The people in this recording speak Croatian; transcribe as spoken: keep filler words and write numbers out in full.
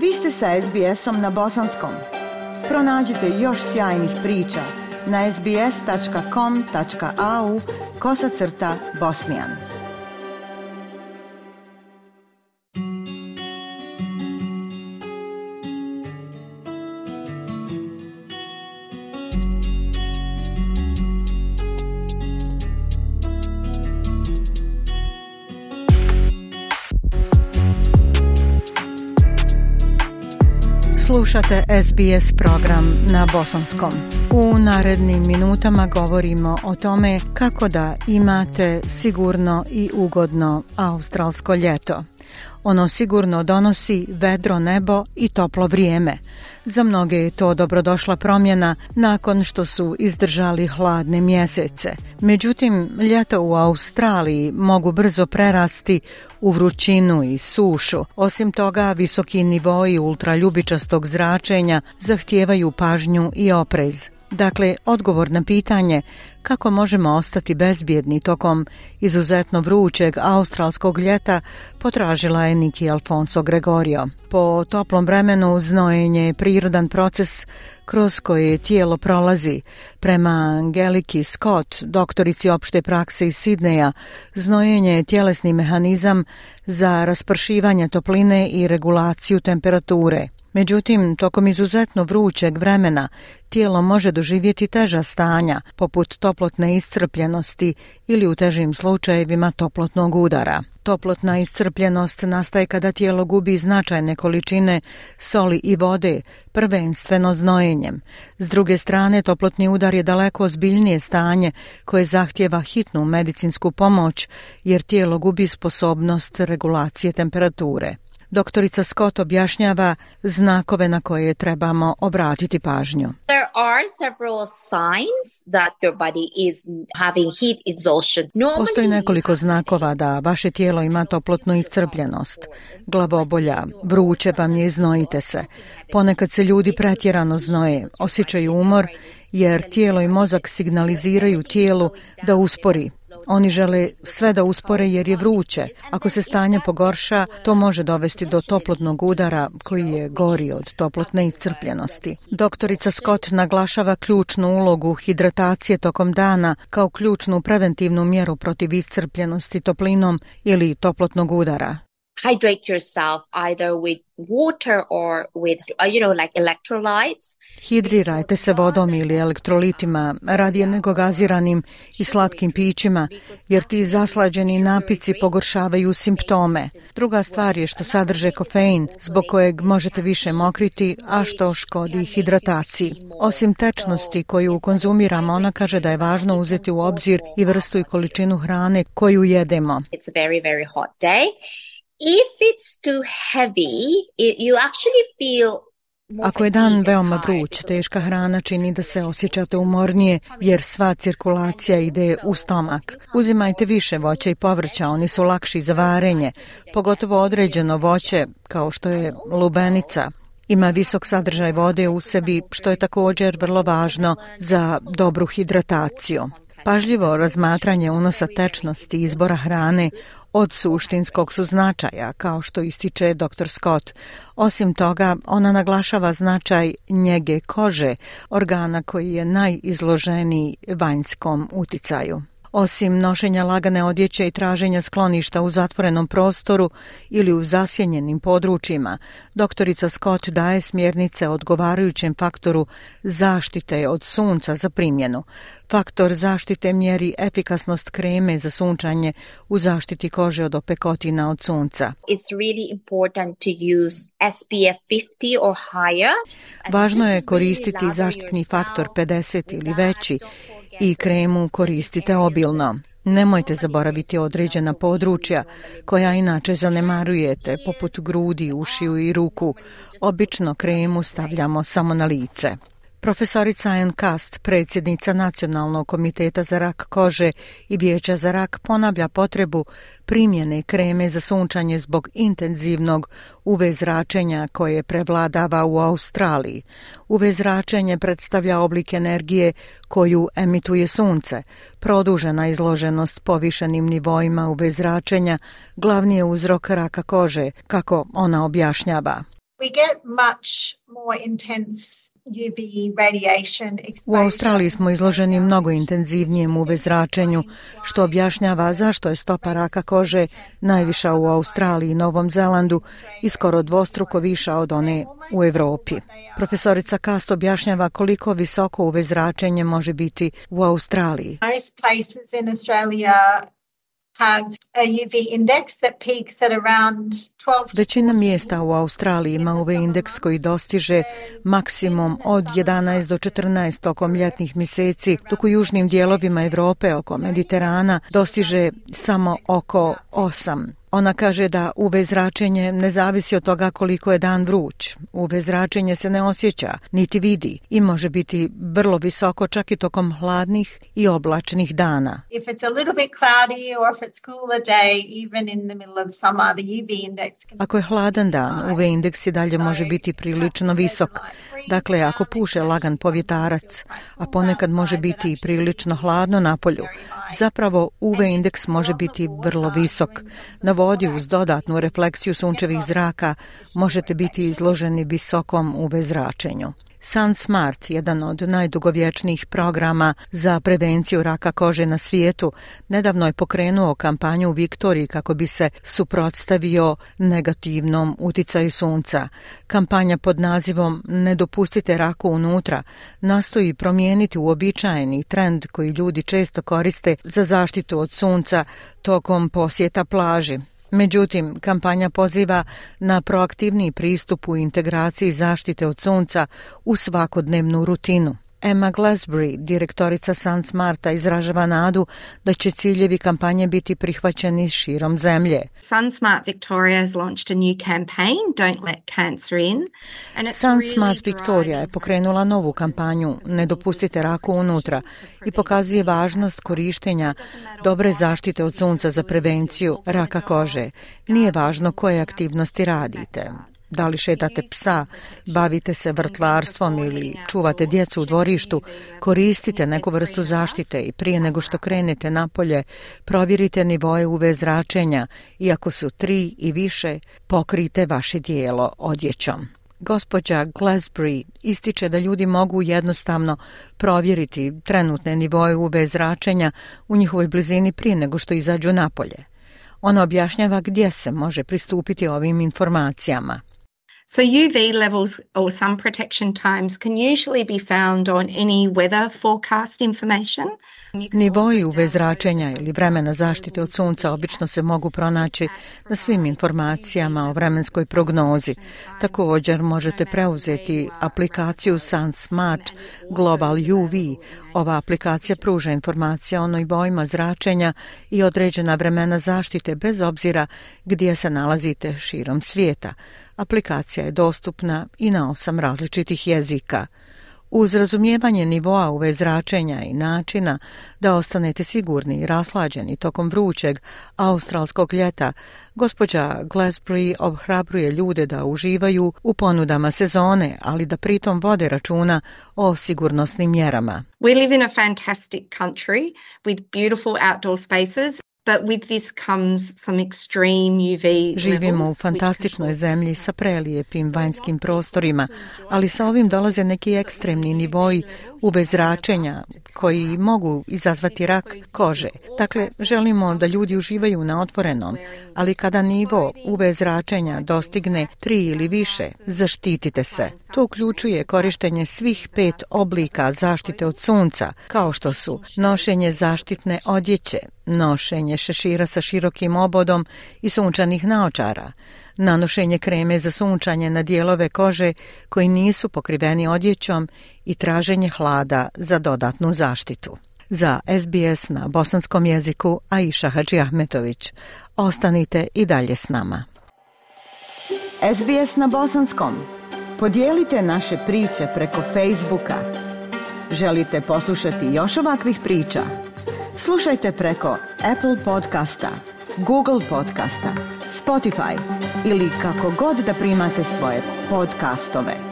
Vi ste sa es be esom na bosanskom. Pronađite još sjajnih priča na es be es tačka com tačka a u kosacrta bosnijan. Slušate es be es program na bosanskom. U narednim minutama govorimo o tome kako da imate sigurno i ugodno australsko ljeto. Ono sigurno donosi vedro nebo i toplo vrijeme. Za mnoge je to dobrodošla promjena nakon što su izdržali hladne mjesece. Međutim, ljeto u Australiji mogu brzo prerasti u vrućinu i sušu. Osim toga, visoki nivoi ultraljubičastog zračenja zahtijevaju pažnju i oprez. Dakle, odgovor na pitanje kako možemo ostati bezbjedni tokom izuzetno vrućeg australskog ljeta potražila je Niki Alfonso Gregorio. Po toplom vremenu znojenje je prirodan proces kroz koje tijelo prolazi. Prema Angeliki Scott, doktorici opšte prakse iz Sidneja, znojenje je tjelesni mehanizam za raspršivanje topline i regulaciju temperature. Međutim, tokom izuzetno vrućeg vremena tijelo može doživjeti teža stanja, poput toplotne iscrpljenosti ili u težim slučajevima toplotnog udara. Toplotna iscrpljenost nastaje kada tijelo gubi značajne količine soli i vode, prvenstveno znojenjem. S druge strane, toplotni udar je daleko ozbiljnije stanje koje zahtijeva hitnu medicinsku pomoć jer tijelo gubi sposobnost regulacije temperature. Doktorica Scott objašnjava znakove na koje trebamo obratiti pažnju. There are several signs that your body is having heat exhaustion. Normally, Postoji nekoliko znakova da vaše tijelo ima toplotnu iscrpljenost. Glavobolja, vruće vam je i znojite se. Ponekad se ljudi pretjerano znoje, osjećaju umor jer tijelo i mozak signaliziraju tijelu da uspori. Oni žele sve da uspore jer je vruće. Ako se stanje pogorša, to može dovesti do toplotnog udara koji je gori od toplotne iscrpljenosti. Doktorica Scott naglašava ključnu ulogu hidratacije tokom dana kao ključnu preventivnu mjeru protiv iscrpljenosti toplinom ili toplotnog udara. hydrate yourself either with water or with, uh, you know, like electrolytes. Hidrirajte se vodom ili elektrolitima, radije nego gaziranim i slatkim pićima, jer ti zaslađeni napici pogoršavaju simptome. Druga stvar je što sadrže kofein, zbog kojeg možete više mokriti, a što škodi hidrataciji. Osim tečnosti koju konzumiramo, ona kaže da je važno uzeti u obzir i vrstu i količinu hrane koju jedemo. It's a very, very hot day. If it's too heavy, it, you actually feel Ako je dan veoma vruć, teška hrana čini da se osjećate umornije jer sva cirkulacija ide u stomak. Uzimajte više voća i povrća, oni su lakši za varenje, pogotovo određeno voće kao što je lubenica. Ima visok sadržaj vode u sebi, što je također vrlo važno za dobru hidrataciju. Pažljivo razmatranje unosa tečnosti i izbora hrane od suštinskog su značaja, kao što ističe doktor Scott. Osim toga, ona naglašava značaj njege kože, organa koji je najizloženiji vanjskom uticaju. Osim nošenja lagane odjeće i traženja skloništa u zatvorenom prostoru ili u zasjenjenim područjima, doktorica Scott daje smjernice o odgovarajućem faktoru zaštite od sunca za primjenu. Faktor zaštite mjeri efikasnost kreme za sunčanje u zaštiti kože od opekotina od sunca. It's really important to use S P F fifty or higher. Važno je koristiti zaštitni faktor pedeset ili veći i kremu koristite obilno. Nemojte zaboraviti određena područja koja inače zanemarujete, poput grudi, ušiju i ruku. Obično kremu stavljamo samo na lice. Profesorica Ann Cast, predsjednica Nacionalnog komiteta za rak kože i Vijeća za rak, ponavlja potrebu primjene kreme za sunčanje zbog intenzivnog U V zračenja koje prevladava u Australiji. U V zračenje predstavlja oblik energije koju emituje sunce. Produžena izloženost povišenim nivoima U V zračenja glavni je uzrok raka kože, kako ona objašnjava. We get much more intense U V radiation exposure. U Australiji smo izloženi mnogo intenzivnijem U V zračenju, što objašnjava zašto je stopa raka kože najviša u Australiji i Novom Zelandu i skoro dvostruko viša od one u Evropi. Profesorica Kast objašnjava koliko visoko U V zračenje može biti u Australiji. Most places in Australia have a U V index that peaks at around twelve. Većina mjesta u Australiji ima U V indeks koji dostiže maksimum od jedanaest do četrnaest tokom ljetnih mjeseci, dok u južnim dijelovima Europe oko Mediterana dostiže samo oko osam. Ona kaže da U V zračenje ne zavisi od toga koliko je dan vruć. U V zračenje se ne osjeća, niti vidi i može biti vrlo visoko čak i tokom hladnih i oblačnih dana. If it's a little bit cloudy or if it's cooler day, even in the middle of summer, the U V index can... Ako je hladan dan, U V indeks i dalje može biti prilično visok. Dakle, ako puše lagan povjetarac, a ponekad može biti i prilično hladno napolju, zapravo U V indeks može biti vrlo visok. Na vodi uz dodatnu refleksiju sunčevih zraka možete biti izloženi visokom U V zračenju. SunSmart, jedan od najdugovječnijih programa za prevenciju raka kože na svijetu, nedavno je pokrenuo kampanju u Viktoriji kako bi se suprotstavio negativnom uticaju sunca. Kampanja pod nazivom Ne dopustite raku unutra nastoji promijeniti uobičajeni trend koji ljudi često koriste za zaštitu od sunca tokom posjeta plaži. Međutim, kampanja poziva na proaktivniji pristup u integraciji zaštite od sunca u svakodnevnu rutinu. Emma Glasbury, direktorica SunSmarta, izražava nadu da će ciljevi kampanje biti prihvaćeni širom zemlje. SunSmart Victoria has launched a new campaign, Don't Let Cancer In. SunSmart Victoria je pokrenula novu kampanju Ne dopustite raku unutra i pokazuje važnost korištenja dobre zaštite od sunca za prevenciju raka kože. Nije važno koje aktivnosti radite. Da li šetate psa, bavite se vrtlarstvom ili čuvate djecu u dvorištu, koristite neku vrstu zaštite i prije nego što krenete napolje, provjerite nivoe U V zračenja i ako su tri i više, pokrijte vaše tijelo odjećom. Gospođa Glasbury ističe da ljudi mogu jednostavno provjeriti trenutne nivoe U V zračenja u njihovoj blizini prije nego što izađu napolje. Ona objašnjava gdje se može pristupiti ovim informacijama. So U V levels or sun protection times can usually be found on any weather forecast information. Nivoi U V zračenja ili vremena zaštite od sunca obično se mogu pronaći na svim informacijama o vremenskoj prognozi. Također možete preuzeti aplikaciju SunSmart Global U V. Ova aplikacija pruža informacije o nivoima zračenja i određena vremena zaštite bez obzira gdje se nalazite širom svijeta. Aplikacija je dostupna i na osam različitih jezika. Uz razumijevanje nivoa U V zračenja i načina da ostanete sigurni i raslađeni tokom vrućeg australskog ljeta, gospođa Glasbury ohrabruje ljude da uživaju u ponudama sezone, ali da pritom vode računa o sigurnosnim mjerama. We live in a fantastic country with beautiful outdoor spaces. But with this comes some extreme U V Živimo u fantastičnoj zemlji sa prelijepim vanjskim prostorima, ali sa ovim dolaze neki ekstremni nivoji U V zračenja koji mogu izazvati rak kože. Dakle, želimo da ljudi uživaju na otvorenom, ali kada nivo U V zračenja dostigne tri ili više, zaštitite se. To uključuje korištenje svih pet oblika zaštite od sunca, kao što su nošenje zaštitne odjeće, nošenje šešira sa širokim obodom i sunčanih naočara, nanošenje kreme za sunčanje na dijelove kože koji nisu pokriveni odjećom i traženje hlada za dodatnu zaštitu. Za S B S na bosanskom jeziku Aisha Hadžiahmetović. Ostanite i dalje s nama. S B S na bosanskom. Podijelite naše priče preko Facebooka. Želite poslušati još ovakvih priča? Slušajte preko Apple podcasta, Google podcasta, Spotify ili kako god da primate svoje podcastove.